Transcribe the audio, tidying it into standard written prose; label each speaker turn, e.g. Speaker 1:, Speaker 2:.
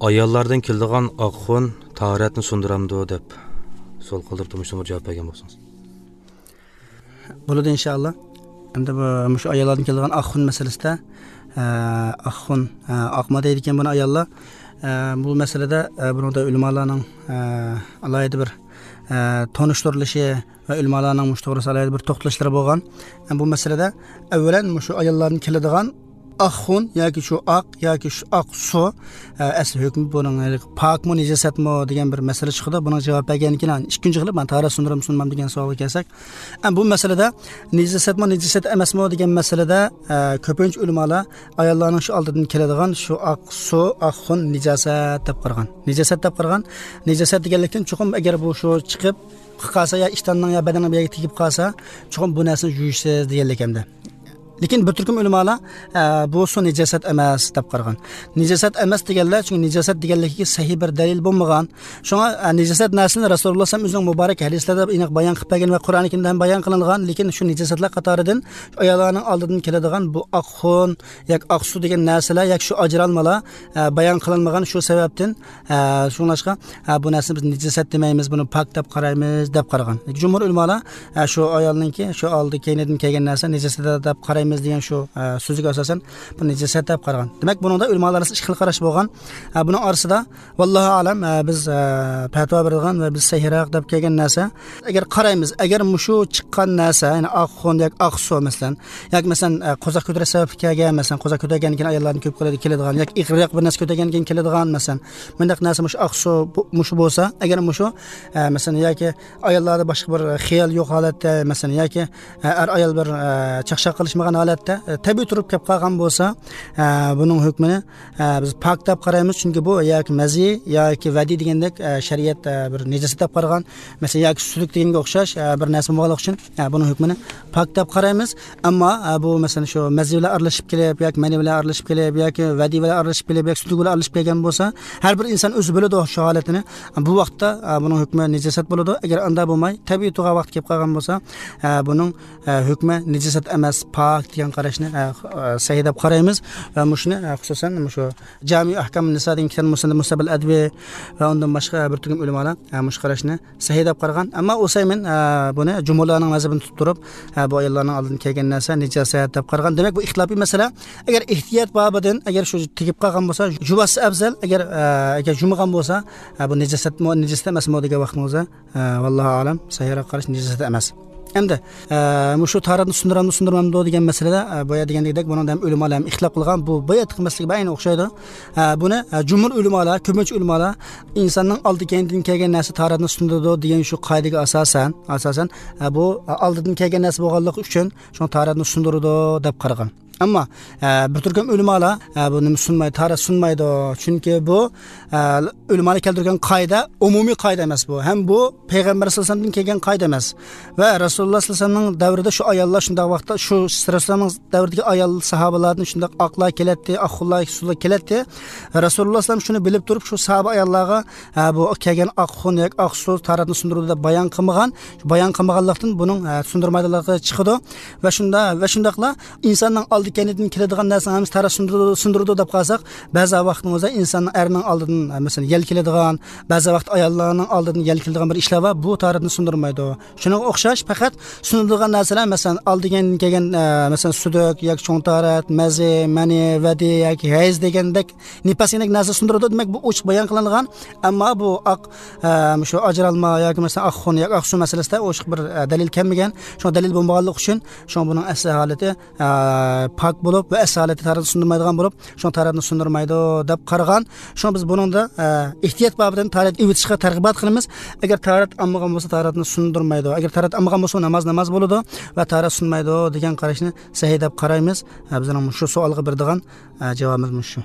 Speaker 1: Ayollardan keladigan oq xun tahoratni sundiramdi deb savol qildirib, shunga javob bergan bo'lsangiz.
Speaker 2: Bo'ladi inshaalloh. Endi bu shu ayollardan keladigan oq xun masalasida, oq xun oqma deydi ekan buni ayollar. Bu masalada bunda ulamolarning alohida bir tanishtirilishi va ulamolarning mush to'g'risida alohida bir to'xtalishlari bo'lgan. Bu masalada avvalan shu ayollardan keladigan oq xun yoki shu oq yoki shu oq suv asli hukmi buning pokmi najosatmi degan bir masala chiqdi. Buning javob bergan keyin ikkinchi qilib man tahorat sundiram sunmam degan savolga kelsak, bu masalada najosatmi najosat emasmi degan masalada ko'pincha ulamolar ayollarning shu oldidan keladigan shu oq suv oq xun najosat deb qaragan. Najosat deb qaragan. Najosat deganlikdan chuqur agar bu shu chiqib qolsa ya ishtonning ya badanning bir yerga tegib qolsa, chuqur bu narsani yuvishsiz deganlik hamda. Lekin bir turkum ulamolar bu su najosat emas deb qaragan. Najosat emas deganlar, chunki najosat deganligiga sahih bir dalil bo'lmagan. Shunga najosat narsani Rasululloh sallallohu alayhi vasallam o'zining muborak hadislarida aniq bayon qilib bergan va Qur'oni Karimda ham bayon qilingan, lekin shu najosatlar qatoridan ayollarning oldidan keladigan bu oq xun yoki oq suv degan narsalar yoki shu ajralmalar bayon qilinmagan. Shu sababdan shunlashqa bu narsani biz najosat demaymiz, buni pok deb qaraymiz deb qaragan. Jumhur ulamolar shu ayolninki shu oldi keynidan kelgan narsa najosat deb qaraymiz degan shu so'ziga asosan bu najosat deb qaragan. Demak, buningda ulamolar orasida ikki xil qarash bo'lgan. Buning orasida vallohu alam biz fatvo bergan va biz sahihroq deb kelgan narsa, agar qaraymiz, agar mushu chiqqan narsa, ya'ni oq xun yoki oq suv masalan, yoki masalan qo'zaq ko'tarish sababli kelgan, masalan qo'zaq ko'targandan keyin ayollarning ko'p qiladi keladigan yoki ig'riq bir narsa ko'targandan keyin keladigan, masalan bundaq narsa mushu oq suv mushu bo'lsa, agar mushu masalan yoki ayollarda boshqa bir xiyol yo'q holatda, masalan yoki er ayol bir chaqchaq qilishmagan holatda tabiiy turib kelib qolgan bo'lsa, buning hukmini biz pok deb qaraymiz, chunki bu yoki mazi yoki vadi degandek shariat bir najosat deb qaragan, masalan yoki suduk deganga o'xshash bir narsa bo'lganligi uchun buning hukmini pok deb qaraymiz. Ammo bu masalan shu mazi bilan aralashib kelib yoki mani bilan aralashib kelib yoki vadi bilan aralashib kelib yoki suduk bilan aralashib kelgan bo'lsa, har bir inson o'zi biladi shu holatini. Bu vaqtda buning hukmi najosat bo'ladi. Agar unda bo'lmay tabiiy tug'a vaqt kelib qolgan bo'lsa, buning hukmi najosat emas, pok degan qarashni sahih deb qaraymiz. Va mushuni xususan shu Jami ahkam niso degan kitob Musabil Advi va undan boshqa bir turkum ulamolar mush qarashni sahih deb qaragan. Ammo Usaymin buni jumhurlarning mazhabini tutib turib, bu ayollarning oldin kelgan narsa najosat deb qaragan. Demak, bu ixtilofiy masala. Agar ehtiyot bobidan agar shu tegib qolgan bo'lsa, juvasi afzal, agar agar jumagan bo'lsa, bu najosatmi, najosat emasmi degan vaqtimizda vallohu alam sahihroq qarash najosat emas. Endi shu tahoratni sundirammi sundirmammi degan masalada boya degandek buni ham ulamolar ham ixtilof qilgan. Bu bayat qilmaslik ayni o'xshaydi. Buni jumhur ulamolar, ko'pincha ulamolar insonning oldi keyindan kelgan narsa tahoratni sundiradi degan shu qoidaga asosan bu oldidan kelgan narsa bo'lganligi uchun shu tahoratni sundiradi deb qaragan. Ammo bir turkum ulamolar buni sunmaydi, tahorat sunmaydi, chunki bu ulamolar keltirgan qoida umumiy qoida emas bu. Ham bu payg'ambar sollallohu alayhi vasallamdan kelgan qoida emas. Va Rasululloh sollallohu alayhi vasallamning davrida shu ayollar shunday vaqtda shu Rasulullohning davridagi ayol sahobalardan shunday oqlar keladi, oqxunlar, suvlar keladi. Rasululloh sollallohu alayhi vasallam shuni bilib turib shu sahoba ayollarga bu kelgan oq xun yoki oq suv tahoratni sundiradi deb bayon qilmagan. Bayon qilmaganlikdan buning sundirmaydiganligi chiqadi. Va shunda va shundaqla insonning oldi keynidan keladigan narsani ham tahorat sundiradi deb qolsak, ba'zi vaqtimizda insonning erining oldidan masalan yel keladigan, ba'zi vaqt ayollarning oldidan yel keladigan bir ishlar bor, bu tahoratni sundirmaydi. Shunga o'xshash faqat sundirilgan narsalar, masalan oldigan kelgan masalan suduk yoki cho'ng tahorat, mazi, mani, vadi yoki hayz degandek nifasdek narsa sundiradi. Demak, bu ochiq bayon qilingan. Ammo bu oq shu ajralma yoki masalan oq xun yoki oq suv masalasida ochiq bir dalil kelmagan. Shu dalil bo'lmaganligi uchun shu buning asli holati pok bo'lib va asli holati tahoratni sundirmaydigan bo'lib, shu tahoratni sundirmaydi deb qaragan. Shu biz buningda ehtiyot bobidan tahorat evitishga targ'ibot qilamiz. Agar tahorat olmagan bo'lsa tahoratni sundirmaydi. Agar tahorat olmagan bo'lsa namoz bo'ladi va tahorat sunmaydi degan qarashni sahih deb qaraymiz. Bizning shu savolga beradigan javobimiz shu.